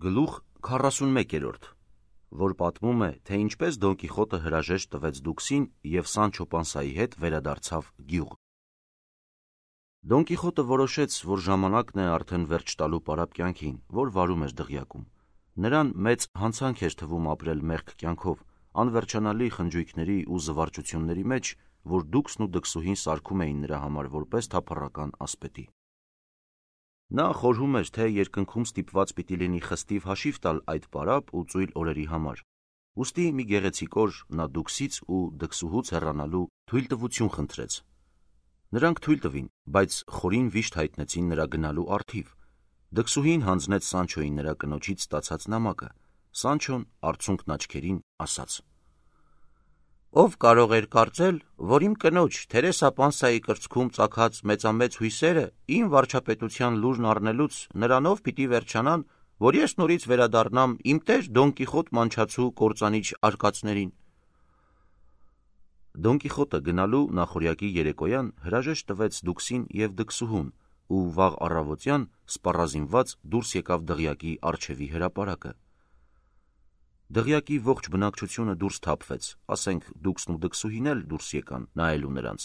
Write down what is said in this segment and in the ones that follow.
Գլուխ 41, որ պատմում է, թե ինչպես Դոն Կիխոտը հրաժեշտ տվեց Դուքսին և Սանչո Պանսայի հետ վերադարձավ գյուղ։ Դոն Կիխոտը որոշեց, որ ժամանակն է արդեն վերջ տալու պարապ կյանքին, որ վարում էր դղյակում։ Նրան մեծ հանցանք էր թվում ապրել մեղք կյանքով, անվերջանալի խնջույքների ու զվարճությունների մեջ, որ Դուքսն ու դքսուհին սարքում էին նրա համար որպես թափառական ասպետի։ Նա խորհում էր, թե երկնքում ստիպված պիտի լինի խստիվ հաշիվ տալ այդ պարապ ու ծույլ օրերի համար։ Ուստի մի գեղեցիկ օր նա Դուքսից ու դքսուհուց հեռանալու թույլտվություն խնդրեց։ Նրանք թույլ տվին, բայց խորին վիշտ հայտնեցին նրա գնալու առթիվ։ Դքսուհին հանձնեց Սանչոյին նրա կնոջից ստացած նամակը։ Սանչոն արցունքն աչքերին ասաց. «Ով կարող էր կարծել, որ իմ կնոջ Թերեսա Պանսայի կրծքում ծագած մեծամեծ հույսերը իմ վարչապետության լուրն առնելուց նրանով պիտի վերջանան, որ ես նորից վերադառնամ իմ տեր Դոն Կիխոտ մանչացու կործանիչ արկածներին»։ Դոն Կիխոտը գնալու նախօրյակի երեկոյան հրաժեշտ տվեց Դուքսին և դքսուհուն ու վաղ առավոտյան սպառազինված դուրս եկավ դղյակի առջևի հրապարակը։ Դղյակի ողջ բնակչությունը դուրս թափվեց, ասենք Դուքսն ու դքսուհին էլ դուրս եկան նայելու նրանց։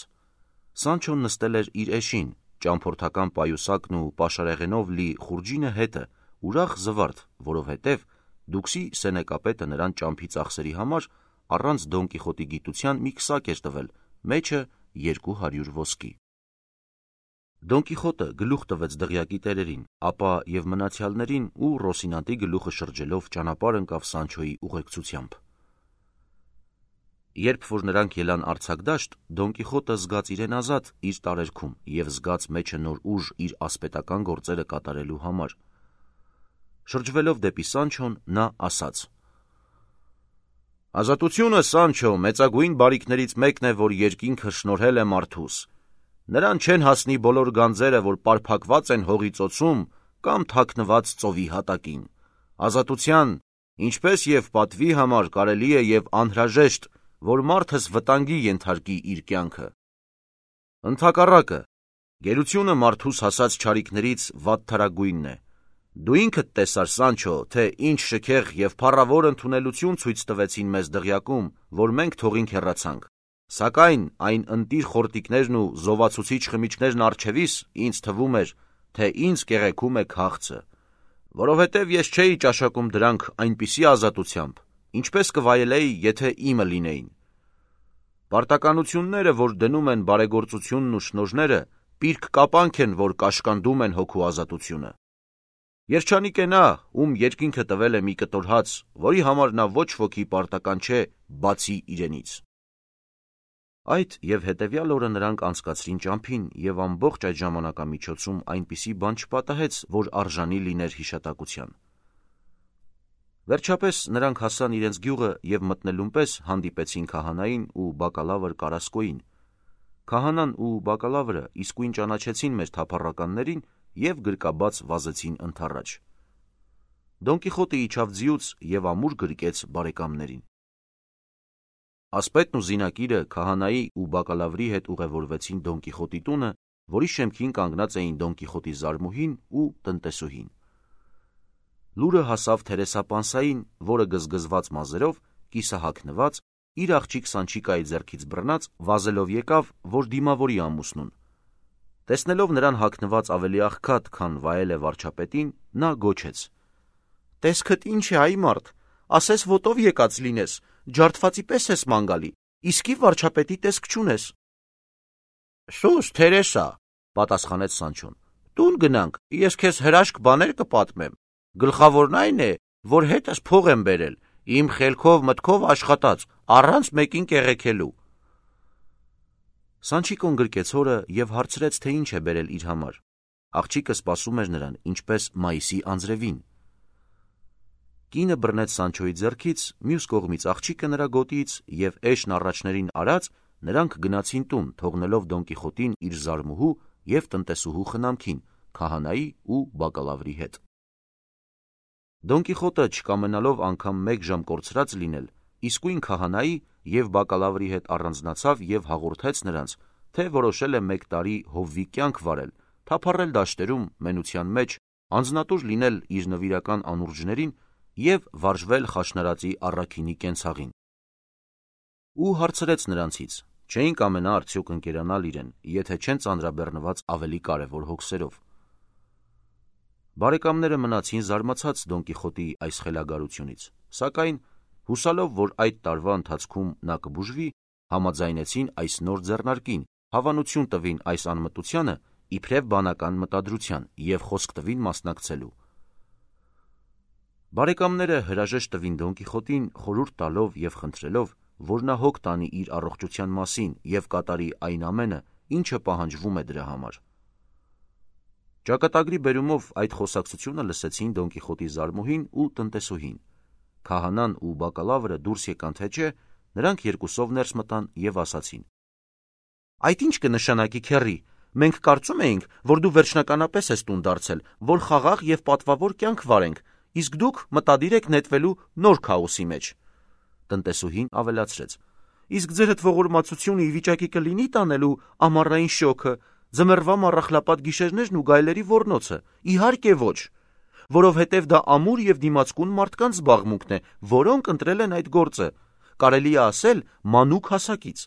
Սանչոն նստել էր իր էշին, ճամփորդական պայուսակն ու պաշարեղենով լի խուրջինը հետը, ուրախ զվարթ, որովհետև Դուքսի սենեկապետը նրան ճամփի ծախսերի համար առանց Դոն Կիխոտի գիտության մի քսակ էր տվել, մեջը 200 ոսկի։ Դոն Կիխոտը գլուխ տվեց դղյակի տերերին, ապա և մնացյալներին ու Ռոսինանտի գլուխը շրջելով ճանապարհ ընկավ Սանչոյի ուղեկցությամբ։ Երբ որ նրանք ելան արձակդաշտ, Դոն Կիխոտը զգաց իրեն ազատ իր տարերքում և զգաց մեջը նոր ուժ իր ասպետական գործերը կատարելու համար։ Շրջվելով դեպի Սանչոն, նա ասաց. «Ազատությունը, Սանչո, մեծագույն բարիքներից մեկն է, որ երկինքը շնորհել է մարդուս։ Նրան չեն հասնի բոլոր գանձերը, որ պարփակված են հողի ծոցում կամ թաքնված ծովի հատակին։ Ազատության, ինչպես և պատվի համար կարելի է և անհրաժեշտ, որ մարդս վտանգի ենթարկի իր կյանքը։ Ընդհակառակը, գերությունը մարդուս հասած չարիքներից վատթարագույնն է։ Դու ինքդ տեսար, Սանչո, թե ինչ շքեղ և փառավոր ընդունելություն ցույց տվեցին մեզ դղյակում, որ մենք թողինք հեռացանք։ Սակայն այն ընտիր խորտիկներն ու զովացուցիչ խմիչքներն առջևիս ինձ թվում էր, թե ինձ կեղեքում է քաղցը, որովհետև ես չէի ճաշակում դրանք այնպիսի ազատությամբ, ինչպես կվայելեի, եթե իմը լինեին։ Պարտականությունները, որ դնում են բարեգործությունն ու շնորհները, պիրկ կապանք են, որ կաշկանդում են հոգու ազատությունը։ Երջանիկ է նա, ում երկինքը տվել է մի կտոր հաց, որի համար նա ոչ ոքի պարտական չէ, բացի իրենից»։ Այդ և հետևյալ օրը նրանք անցկացրին ճամփին, և ամբողջ այդ ժամանակամիջոցում այնպիսի բան չպատահեց, որ արժանի լիներ հիշատակության։ Վերջապես նրանք հասան իրենց գյուղը և մտնելուն պես հանդիպեցին քահանային ու բակալավր Կարասկոյին։ Քահանան ու բակալավրը իսկույն ճանաչեցին մեր թափառականներին և գրկաբաց վազեցին ընդառաջ։ Դոն Կիխոտը իջավ ձիուց և ամուր գրկեց բարեկամներին։ Ասպետն ու զինակիրը քահանայի ու բակալավրի հետ ուղևորվեցին Դոն Կիխոտի տունը, որի շեմքին կանգնած էին Դոն Կիխոտի զարմուհին ու տնտեսուհին։ Լուրը հասավ Թերեսա Պանսային, որը գզգզված մազերով, կիսահագնված, իր աղջիկ Սանչիկայի ձեռքից բռնած, վազելով եկավ, որ դիմավորի ամուսնուն։ Տեսնելով նրան հագնված ավելի աղքատ, քան վայել է վարչապետին, նա գոչեց. «Տեսքդ ինչ է, այ մարդ, ասես ոտով եկած լինես, ջարդվածի պես ես ման գալի, իսկի վարչապետի տեսք չունես»։ «Սուս, Թերեսա», պատասխանեց Սանչոն, «տուն գնանք, ես քեզ հրաշք բաներ կպատմեմ։ Գլխավորն այն է, որ հետս փող եմ բերել, իմ խելքով մտքով աշխատած, առանց մեկին կեղեքելու»։ Սանչիկոն գրկեց հորը և հարցրեց, թե ինչ է բերել իր համար։ Աղջիկը սպասում էր նրան, ինչպես մայիսի անձրևին։ Կինը բռնեց Սանչոյի ձեռքից, մյուս կողմից աղջիկը նրա գոտիից և էշն առաջներին արած նրանք գնացին տուն, թողնելով Դոն Կիխոտին իր զարմուհու և տնտեսուհու խնամքին, քահանայի ու բակալավրի հետ։ Դոն Կիխոտը, չկամենալով անգամ մեկ ժամ կորցրած լինել, իսկույն քահանայի և բակալավրի հետ առանձնացավ և հաղորդեց նրանց, թե որոշել է 1 տարի հովվի կյանք վարել, թափառել դաշտերում, մենության մեջ անձնատուր լինել իր նվիրական անուրջներին և վարժվել խաշնարածի առաքինի կենցաղին։ Ու հարցրեց նրանցից. չէին կամենա արդյոք ընկերանալ իրեն, եթե չեն ծանրաբեռնված ավելի կարևոր հոգսերով։ Բարեկամները մնացին զարմացած Դոն Կիխոտի այս խելագարությունից, սակայն հուսալով, որ այդ տարվա ընթացքում նա կբուժվի, համաձայնեցին այս նոր ձեռնարկին, հավանություն տվին այս անմտությանը իբրև բանական մտադրության և խոսք տվին մասնակցելու։ Բարեկամները հրաժեշտ տվին Դոն Կիխոտին, խորհուրդ տալով և խնդրելով, որ նա հոգ տանի իր առողջության մասին և կատարի այն ամենը, ինչը պահանջվում է դրա համար։ Ճակատագրի բերումով այդ խոսակցությունը լսեցին Դոն Կիխոտի զարմուհին ու տնտեսուհին։ Քահանան ու բակալավրը դուրս եկան թե չէ, նրանք երկուսով ներս մտան և ասացին. «Այդ ինչ կնշանակի, քեռի, մենք կարծում էինք, որ դու վերջնականապես ես տուն դարձել, որ խաղաղ և պատվավոր կյանք վարենք, իսկ դուք մտադիր եք նետվելու նոր քաոսի մեջ»։ Տնտեսուհին ավելացրեց. «Իսկ ձերդ ողորմածությունը ի վիճակի կլինի տանելու ամառային շոգը, ձմեռվա մառախլապատ գիշերներն ու գայլերի ոռնոցը։ Իհարկե ոչ, որովհետև դա ամուր և դիմացկուն մարդկանց զբաղմունքն է, որոնք ընտրել են այդ գործը, կարելի է ասել մանուկ հասակից։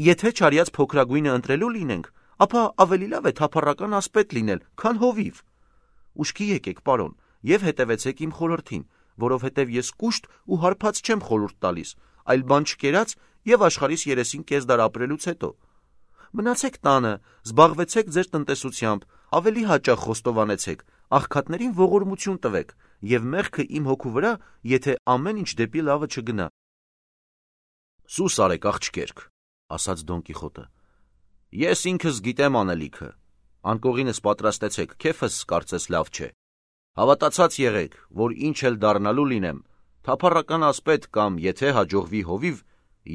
Եթե չարյաց փոքրագույնը ընտրելու լինենք, ապա ավելի լավ է թափառական ասպետ լինել, քան հովիվ։ Ուշքի եկեք, պարոն, և հետևեցեք իմ խորհրդին, որովհետև ես կուշտ ու հարբած չեմ խորհուրդ տալիս, այլ բան չկերած և աշխարհիս երեսին կես դար ապրելուց հետո։ Մնացեք տանը, զբաղվեցեք ձեր տնտեսությամբ, ավելի հաճախ խոստովանեցեք, աղքատներին ողորմություն տվեք և մեղքը իմ հոգու վրա, եթե ամեն ինչ դեպի լավը չգնա»։ «Սուս արեք, աղջկերք», ասաց Դոն Կիխոտը, «ես ինքս գիտեմ անելիքը, անկողինս պատրաստեցեք, քեֆս կարծես լավ չէ։ Հավատացած եղեք, որ ինչ էլ դառնալու լինեմ, թափառական ասպետ կամ եթե հաջողվի հովիվ,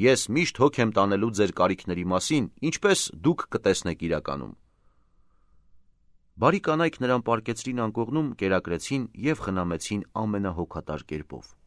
ես միշտ հոգ եմ տանելու ձեր կարիքների մասին, ինչպես դուք կտեսնեք իրականում»։ Բարի կանայք նրան պառկեցրին անկողնում, կերակրեցին և խնամեցին ամենահոգատար կերպով։